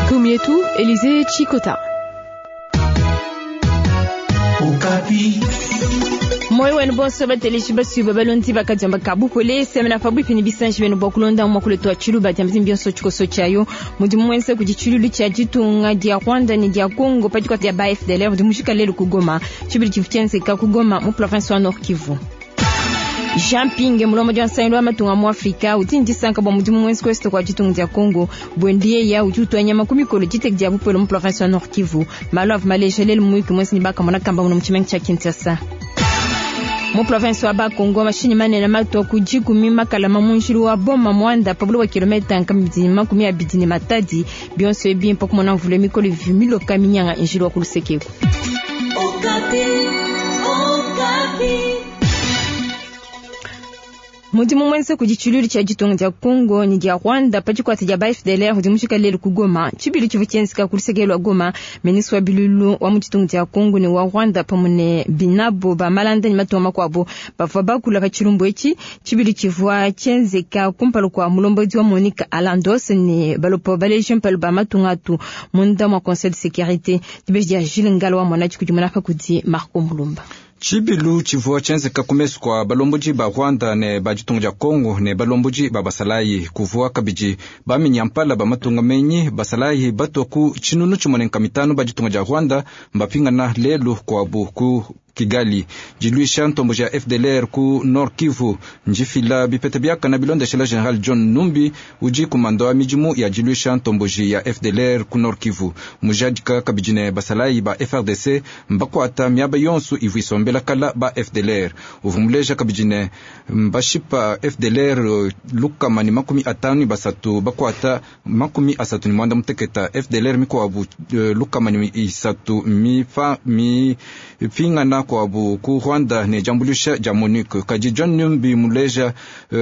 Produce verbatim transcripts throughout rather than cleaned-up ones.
Gumietu, Elysée Chikota. Moyo wenu bonso bateleshi basuba balondi bakadiamba kabupole semena pabuipi ni bisanji benu bua kulonda muakulu tua tshiluba dia mzimbi yonso tshikoso tshiayo mudimu muenza kudi tshilulu tshia ditunga dia Rwanda ne dia Congo pa dikuata dia ba F D L R mudi mujika lelu ku Goma tshibidi tshivu tshienzeka ku Goma mu province wa Nord Kivu. Jean Ping mulomo dia nsangilu wa matunga mu Afrika udi ndisanka bua mudimu muenza ku est kua ditunga dia Congo bwendiye ya udi utua nyama ku mikolo diteke dia bupole mu province wa Nord Kivu malu avua maleja lelu muyuki muenza ne bakamona kamba muno mu tshimenga tshia Kinshasa. Mu province wa Bakongo mashinyi manene matua ku dikumi makalama mu njilu wa Boma Mwanda pa buloba kilomita nkama makumi abidi ne matadi bionso ebi mpa kumona mvula mikolo vimiloka minyanga njilu wa ku lusekeku. Mudimu mwenza kudi tshilulu tshia ditunga dia Congo ne dia Rwanda pa dikuata dia ba F D L R udi mujika lelu ku Goma tshibili tshivua tshienzeka ku luseke lua Goma ministre wa bilulu wa mu ditunga dia Congo ne wa Rwanda pamue ne binabo ba malanda ne matunga makuabu bavua bakula pa tshilumbu etshi tshibili tshivua tshienzeka kumpala kua mulombodi wa Monique Alandos ne balopo baleji mpalu ba matunga atu munda mua Conseil de sécurité dibeji dia Jules Ngalo wa mwana tshikudi munapa kudi Marco Mulumba. Tshibilu tshivua tshienzeka ku mesu kua balombodi ba Rwanda ne ba ditunga dia Congo ne balombodi ba basalayi kuvua kabidi baminyampala ba matunga menyi basalayi batua ku tshinunu tshimue ne mitanu ba ditunga dia Rwanda mbapingana lelu kuabu ku Kigali diluisha ntombo ya F D L R ku Nord Kivu njifila bipete biakana bilondeshela General John Numbi udi kumando wa midimu ya diluisha ntomboji ya F D L R ku Nord Kivu mujadika kabidi ne basalayi ba F R D C mbakuata miaba yonso ivu isombela kala ba F D L R uvumuleja kabidi ne mbashipa F D L R lukama ni makumi atanu basatu bakuata makumi asatu ni mwanda muteketa F D L R mikuabu lukama ni isatu mifa mi pingana kwabu ku Rwanda ne jambulisha ja MONUC kaji John Numbi muleja uh,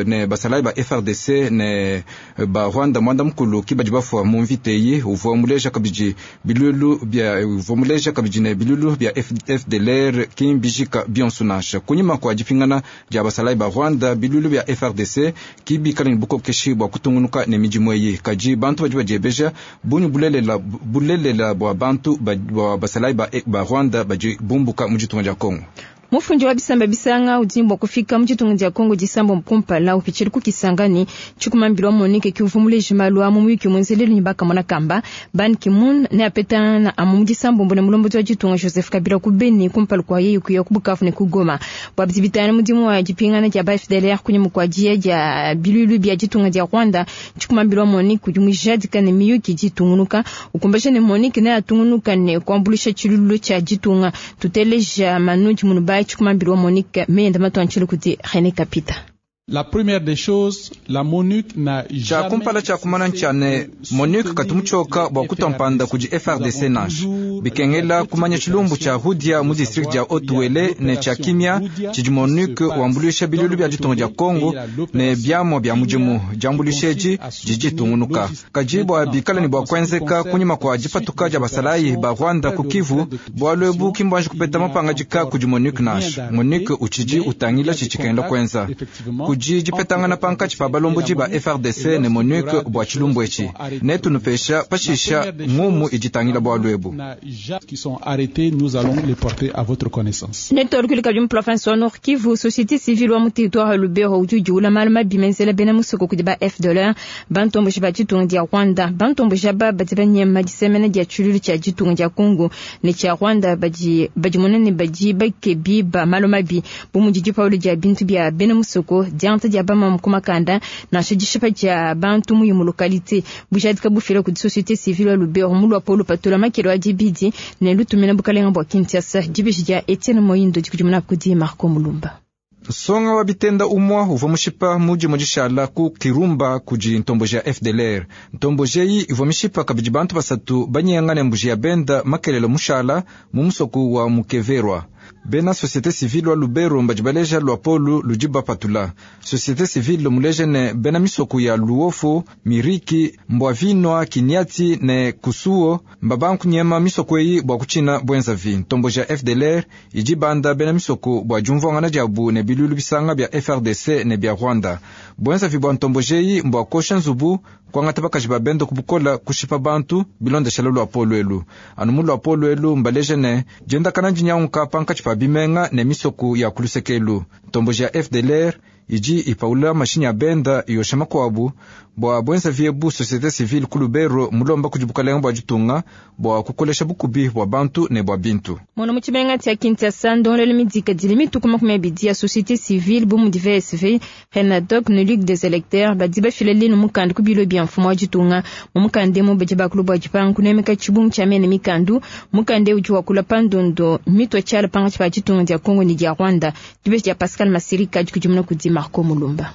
ne basalayi ba F R D C ne ba Rwanda mwanda mukulu kibadi bafwa mu mviteyi uvua muleja kabidi bilulu bya uvua muleja kabidi ne bilulu bya F D L R kimbijika bionso nansha kunyima kwa dipingana dia basalayi ba Rwanda bilulu bya F R D C kibikala ne bukokeshi bua kutungunuka ne midimu eyi kaji bantu badi badiebeja bunyu bulelela bulelela bua bantu ba basalayi ba, ba Rwanda badi bumbuka mu ditunga dia Congo. Mufundi wa bisamba bisanga udi bua kufika mu ditunga dia Congo disambo mkumpala upitshila ku Kisangani tshikumambila wa Monique kiuvumuleji malu a mu muyuki muenzelelu ne bakamona kamba Ban Ki-moon ne apetana amu mu disambo mbone mulombodi wa ditunga Joseph Kabila ku Beni kumpala kua yeye kuya ku Bukavu ne ku Goma bua bidibitana mudimu wa dipingana dia ba F D L R kunyima kua diya dia bilulu bia ditunga dia Rwanda tshikumambila wa Monique udi mujadika ne miyuki ditungunuka ukumbaja ne Monique ne atungunuka ne kuambulisha tshilulu tshia ditunga tuteleja Manu Munubai Chikumambilo wa Monique meyenda matuanchilo kuti René Kapita. La première des choses, la MONUC n'a jamais kumpala cha kumana nchane MONUC katumuchoka bua kutompanda kudi F R D C nash bikengela kumanya tshilumbu cha Rudia mu district dia Otuele ne cha Kimia tshidi MONUC wambulisha bilulu bia ditunga dia Congo ne biamua bia mudimu diambulisha edi didi tungunuka kaji bua bikala ne bua kuenzeka kunyima kua dipatuka dia basalayi ba Rwanda ku Kivu bualu ebu kimbwanji kupeta mapangadika kudi MONUC nash MONUC utshidi utangila tshitshikenda kuenza kudi dipetangana pankatshi pa balombodi ba F R D C ne MONUC bua tshilumbu etshi ne tunupesha pashisha ngumu iditangila bualu ebu. Ne kabidi mu province wa Nord Kivu société civile wa mu territoire ya Lubero udi udiula malu mabi menzela bena musoko kudi ba F D L R bantomboji ba ditunga dia Rwanda bantomboji aba badi banyema disemena dia tshilulu tshia ditunga dia Congo ne tshia Rwanda badi badimona ne badi bakebi ba malu mabi bu mudi dipaulu dia bintu bia bena musoko dianta dia bama mu kumakanda nansha dishipa dia bantu mu localité bujadika bufila kudi société civile wa Lubero mu lwa Paulo Patola makelo a dibidi ne lutumina bukalenga bua Kinshasa dibeji dia Etienne Moindo dikudimuna kudi Marco Mulumba. Songa wa bitenda umwa uvua mushipa mudi mudishala ku Kirumba kudi ntomboji ya F D L R ntomboji eyi ivua mishipa kabidi bantu basatu banyengane mbuji ya benda makelelo mushala mu musoku wa Mukeverwa. Bena société civile wa Lubero mbadi baleja luapolu ludi bapatula. Société civile muleja ne bena misoko ya Luofu, Miriki, Mbwavinwa, Kiniati ne Kusuo mbabanku nyema misoko eyi bua kutshina bwenzavi. Ntombo ja F D L R idi banda bena misoko bua diumvuangana diabu ne bilulu bisanga bia F R D C ne bia Rwanda. Bwenzavi bua ntombo jeyi mbua kosha nzubu kuangata bakaji ba bendo kubukola kushipa bantu bilondeshela luapolu elu. Anu mu luapolu elu mbaleja ne diendakana dinyanguka pankatshi pa bimenga ne misoko ya kulusekelu. Ntombo ja F D L R idi ipaula mashinyi a benda yosha makuabu bua bwenzavi ebu société civile ku Lubero mulomba kudi bukalenga bua ditunga bua kukolesha bukubi bua bantu ne bua bintu. Mono mu tshimenga tshia Kinshasa ndongolelo midika dili mituku makumi abidi ya société civile bu mudi V S V, Renadoc ne Ligue des électeurs badi bafila lino mukanda ku bilo bia mfumu wa ditunga. Mu mukanda emu badi bakulu bua dipanga kunemeka tshibungu tshia mene mikandu. Mukanda udi wakula pa ndondo mitwa tshiala pankatshi pa ditunga dia Congo ne dia Rwanda. Dibeji dia Pascal Masirika dikudimuna kudi Marco Mulumba.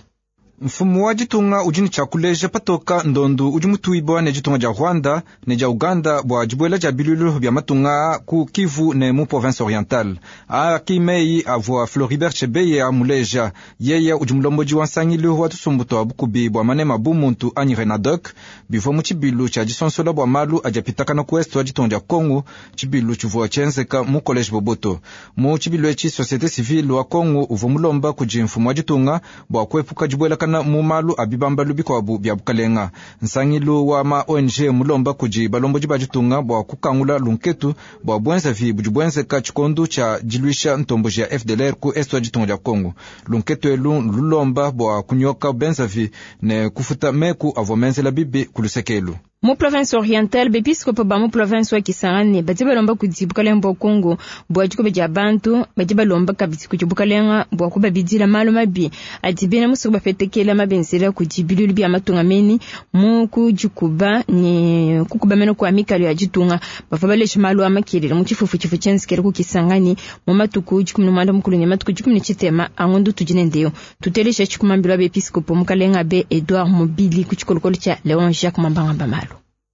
Mfumu wa ditunga udi ne tshiakuleja patoka ndondu udi mutuibwa ne ditunga dia Rwanda ne dia Uganda bua dibuela dia bilulu bia matunga ku Kivu ne mu province orientale. Aki meyi avua Floribert Chebeya amuleja yeye udi mulombodi wa nsangilu wa tusumbu twa bukubi bua manema bu muntu anyi Renadoc bivua mu tshibilu tshia disonsola bua malu adi apitakana ku est wa ditunga dia Congo, tshibilu tshivua tshienzeka mu collège Boboto. Mu tshibilu etshi société civile wa Congo uvua mulomba kudi mfumu wa ditunga bua kuepuka dibuelakana mu malu a bibambalu bikuabu bia bukalenga. Nsangilu wa ma O N G mulomba kudi balombodi ba ditunga bua kukangula lunketu bua bwenzavi budi bwenzeka tshikondu tshia diluisha ntomboji ya F D L R ku est wa ditunga dia Congo. Lunketu elu lulomba bua kunyoka benzavi ne kufuta meku avua menzela bibi ku lusekelu. Mu province orientale bepiskopo ba mu province wa Kisangani badi balomba kudi bukalenga bua Congo bua dikobe dia bantu badi balomba kabidi kudi bukalenga bua kubabidila malu mabi adi bena musoko bapetekela mabenzela kudi bilulu bia matunga meni mu kudikuba ne kukuba meno kwa mikalo ya ditunga. Bavua balesha malu a makelele mu tshifufu tshifu tshienzekele ku Kisangani mu matuku dikumi ne muanda mukulu ne matuku dikumi ne tshitema a ngondo tudi ne ndeyo. Tutelesha tshikumambilo bepiskopo mukalenga be Edouard Mobili ku tshikolokolo tshia Léon Jacques Mambangamba malu.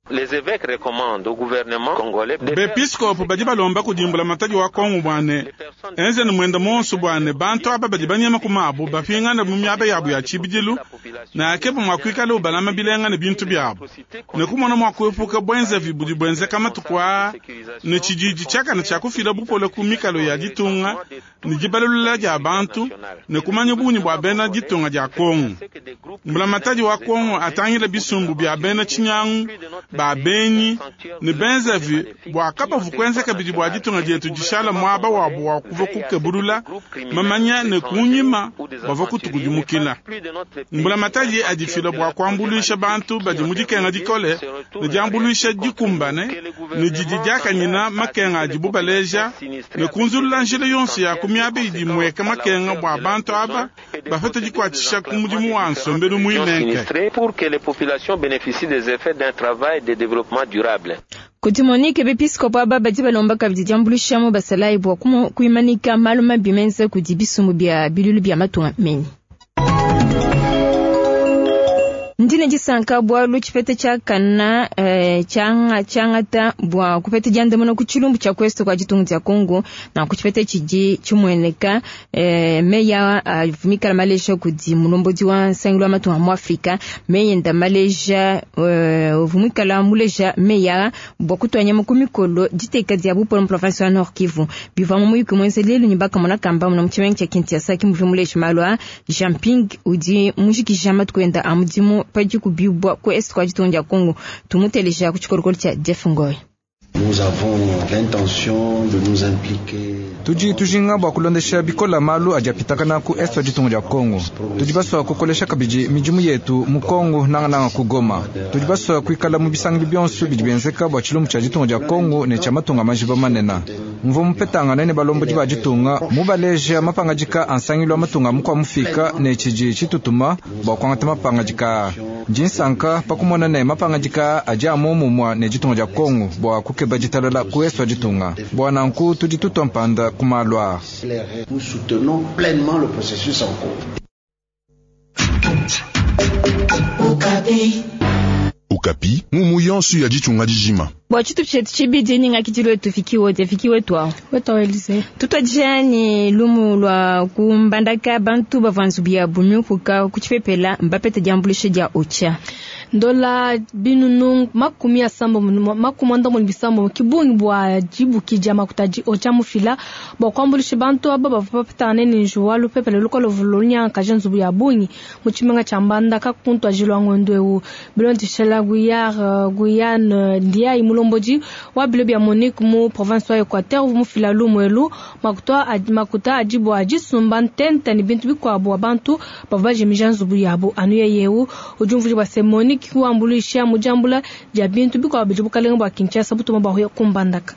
Les évêques recommandent au gouvernement congolais de Bepiskopo badi balomba kudimbula matadi wa Kongo bwane enze ne mwenda monso bwane bantu aba badi banyema ku mabu bapingana mu miaba yabo ya tshibidilu na akepo mwa kuikala ubalama bilenga ne bintu byabo ne kumona mwa kuepuka bwenzavi budi bwenzeka matuku aa ne tshididi tshiakana tshia kufila bupole ku mikalo ya ditunga ne dibalulula dia bantu ne kumanya bungi bua bena ditunga dia Kongo. Mbula matadi wa Kongo atangila bisumbu bia bena tshinyangu ba benyi ne benzavi bua kabavu kuenzeka bidi bua ditunga dietu dishala muaba wabu wa kuva kukebulula mamanya ne kunyima bava kutukudimukila. Mbula matadi adifila bua kuambuluisha bantu badi mu dikenga dikole ne diambuluisha dikumbane ne didi diakanyina makenga adibu baleja ne kunzulula njila yonso ya ku miaba idi mweka makenga bua bantu aba bapete dikuatshisha ku mudimu wa nsombelu muinenke. Pour que les populations bénéficient des effets d'un travail de développement durable. Kuti Monique bepiskopo aba badi balomba kabidi diambuluisha mu basalayi bua kuimanika malu mabi menza kudi bisumbu bia bilulu bia matunga meni. Ndine disanka bua tshipete tshiakana tshianga tshiangata bua kupeta diandamuna ku tshilumbu tshia kwesto kwa ditunga dia Congo na ku tshipete tshidi tshimueneka meya avumikala maleja kudi mulombodi wa nsangilu wa matunga mu Afrika meyenda maleja uvumikala muleja meya bua kutuanya ku mikolo diteka dia bupolo mu province ya Nord Kivu bivua mu muyuki muenze lelu ne bakamona kamba mu tshimenga tshia Kinshasa kimuvi muleja malu a Jean-Ping udi mujikija matuku enda a mudimu padi kubibwa ku est kwa ditunga dia Congo tumuteleja ku tshikolokolo tshia Jeff Ngoy. Nous avons l'intention de nous impliquer. Tudi tujinga bua kulondesha bikola malu adi apitakana ku est wa ditunga dia Congo. Tudi basua kukolesha kabidi midimu yetu mu Congo nangananga ku Goma. Tudi basua kuikala mu bisangilu bionso bidi bienzeka bua tshilumbu tshia ditunga dia Congo ne tshia matunga majiba manene. Mvua mupetangana ne balombodi ba ditunga mubaleja mapangadika a nsangilu wa matunga mukua mufika ne tshidi tshitutuma bua kuangata mapangadika. Ndi nsanka pa kumona ne mapangadika adi a momumua ne ditunga dia Congo bua kukeba ditalala ku est wa ditunga. Bua nanku tudi tutua mpanda ku malu aa. Nous soutenons pleinement le processus en cours. Okapi, mumu yonso ya ditunga dijima. Bua tshitu tshetu tshibidi ningakidilu wetu fiki wote fiki wetu awo wetu Elise tutwajani lumu lwa kumbandaka bantu bavanzu bya bunyukuka kuchipepela mbapete jambulishe dia ocha ndola binunu makumi asambo makumi andambo bisambo kibungi bwa jibuki jama kutaji ocha mufila bwa kwambulishe bantu aba bavapatane ni njuwa lupepele lukolo vulunya kajenzu ya bungi muchimenga chambanda kakuntwa jilwa ngondwewu bilondishela guyar Guyane ndia imulomboji wa bilo bya Monique mu province wa Equateur mufila lumwelu makuta makuta ajibu ajisumba ntente ni bintu bikwabo abantu bavaje mijanzu yabo anuye yewu ujumvuji bwa se Monique kuambulisha mujambula ja bintu bikwabo bijibukalenga bwa Kinshasa butuma bahuya kumbandaka.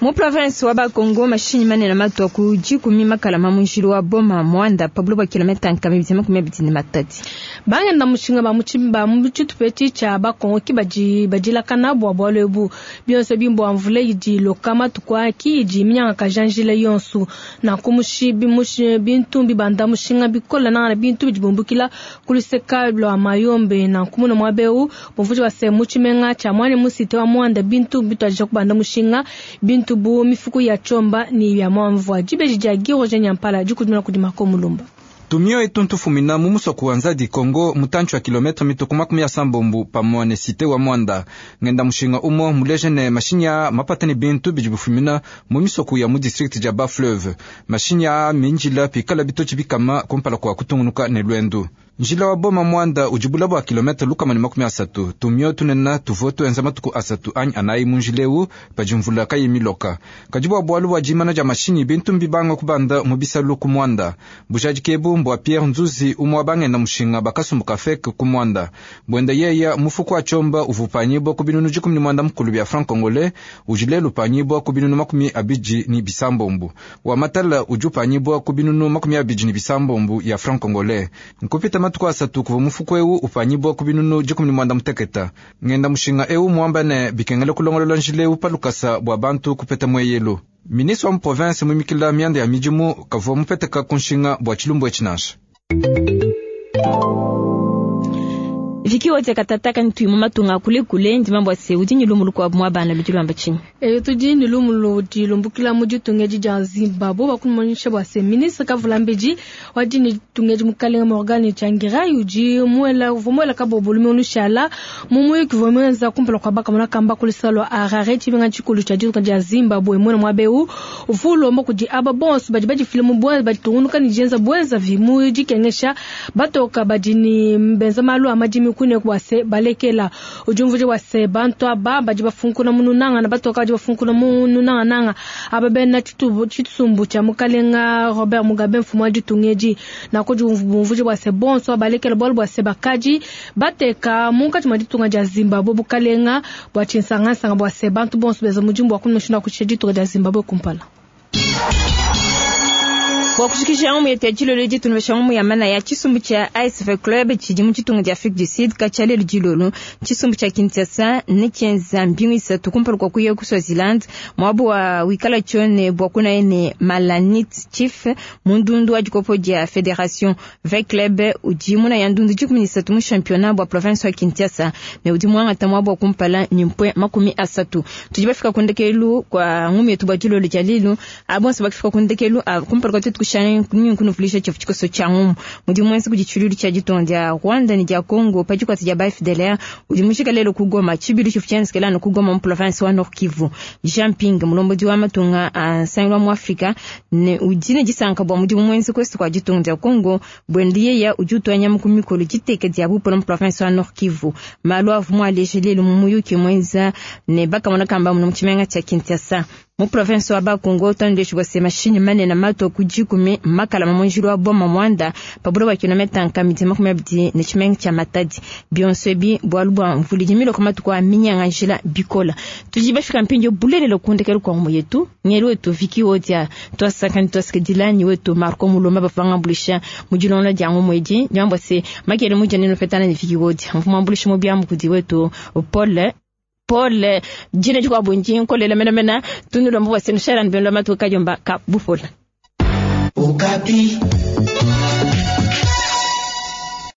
Mu province wa Bakongo mashinyi manene matwa ku jikumi makala mamunjilo wa Boma Mwanda pablo ba kilomita nkami bizima kumya bitini matati bangenda mushinga ba muchimba muchitupeti cha Bakongo kibaji bajila kana bwa bwalebu byonse bimbo amvule yidi lokama tukwa ki yidi minyanga kajanjile yonsu na kumushi bimushi bintu bibanda mushinga bikola na bintu bijibumbukila kuliseka lwa mayombe na kumuna mwabeu bomvuji wa se muchimenga cha mwane musite wa Mwanda bintu bitwaje kubanda mushinga bintu bu mifuku ya chomba ni ya mwamvua jibeji ja giroje nyampala jikudumina kudimako mulumba tumio etuntu fumina mumuso kuanza di Kongo mutanchu wa kilometre mituku makumi ya sambombu pamwa ne site wa Mwanda ngenda mushinga umo muleje ne mashinya mapatani bintu bijibufumina mu misoku ya mu district ja Bas-Fleuve mashinya minjila pikala bitochi bikama kumpala kwa kutungunuka ne lwendu njila wa Boma Mwanda ujibula bwa kilometre lukama ni makumi asatu tumio tunena tuvo tuenza matuku asatu anyi anayi munjileu pajimvula kayi miloka kajibwa bwalu bwa jimana ja mashinyi bintu mbibanga kubanda mu bisalu ku Mwanda bujaji kebu mbwa Pierre Nzuzi umwa bangenda mushinga bakasumbuka feke ku Mwanda bwenda yeya mufuku wa chomba uvupanyibwa ku binunu jikumi ni mwanda mukulu bya franc congolais ujile lupanyibwa ku binunu makumi abiji ni bisambombu wa matala ujupanyibwa ku binunu makumi abiji ni bisambombu ya franc congolais nkupita matuku asatu kuva mufuku ewu upanyibwa ku binunu jikumi ni mwanda muteketa ngenda mushinga ewu mwambane bikengele kulongolola njile ewu palukasa bwa bantu kupeta mweyelu ministre wa province mwimikila mianda ya mijimu kavua mupeteka kunshinga bwa chilumbu echinasha Viki wote katataka ntuimu matunga kule kule ndi mambo ase udi ni lumulu kwa mwa bana ludi lwamba chini. E tudi ni lumulu di lumbukila mu ditunga dia Zimbabwe bakumanyisha bwa se ministre Kavulambiji wadi ni tunga mukalenga Morgan Tsvangirai udi muela vumwela kabo lume onushala mumuyu kivomwenza kumpala kwa baka mona kamba kulisalo Harare chibenga chikulu cha ditunga dia Zimbabwe mwana mwabeu ufulo mbo kudi aba bonso badi badi filmu bwa badi tungunuka ni jenza bwenza vimu dikengesha batoka badi ni mbenza malu amadimi kune kwase balekela ujumvuje wase bantu aba badi bafunkuna mununanga na batoka badi bafunkuna mununanga nanga aba bena chitubu chitsumbu cha mukalenga Robert Mugabe mfumo ditungeji na ko jumvuje wase bonso balekela bol bwase bakaji bateka munka chima ditunga ja Zimbabwe bukalenga bwa chinsanga sanga bwase bantu bonso beza mujimbo wakuno shina kucheji ditunga ja Zimbabwe kumpala. Kwa kushikisha umu yetu ya jilolo jitu nubesha umu ya mana ya chisumbu cha A S V Club chidimu chitunga dia Afrique du Sud kachale ljilolo chisumbu cha Kinshasa nechenza mbingu isatu kumpala kwa kuya ku Swaziland mwabu wa wikala chone bwa kuna ene Malanit Chief mundundu wa jikopo dia Federation V Club ujimuna ya ndundu jikumi isatu mu championnat bwa province wa Kinshasa ne udimu wangata mwabu wa kumpala nimpwe makumi asatu tujibafika kundekelu kwa ngumu yetu bwa jilolo jalilu abonso bakifika kundekelu kumpala kwa tutu kushana kunufulisha chafu chikoso cha ngumu mudi mwensi kujichululu cha jitonda ya Rwanda ni ya Congo pajikwa tija ba F D L R udimushika lelo kugoma chibilu chifu chansikela no kugoma mu province wa Nord Kivu Jean Ping mulombodi wa matunga a sangwa mu Afrika ne udine jisanka bwa mudi mwensi kwesi kwa jitonda ya Congo bwendiye ya ujutwa nyamu kumikolo jiteke dia bupo mu province wa Nord Kivu malu avu alejele mumuyuki mwenza ne bakamona kamba mu chimenga cha Kinshasa mu province wa Bakongo tandeshu bwa mashini mane na mato kujikumi makala mamonjiro wa Boma Mwanda paburo ba kilomita nkamiti makumi abidi ne chimenga cha Matadi bionsebi bwalubwa mvuli jimilo kama tukwa minyanga njila bikola tujibafika mpinjo bulelelo kundekelu kwa muyetu ngelu wetu viki wotia twasakani twasikidilani wetu Marco Muloma bafanga bulisha mujilona jangu mweji jambo se makele mujani no fetana ni viki wotia mfuma bulisha mu byamu kudi wetu Paul Paul jina chukwa bunji nkolela mena mena tunulombo wa senushara nbelo matuka jomba ka bufola. Okapi.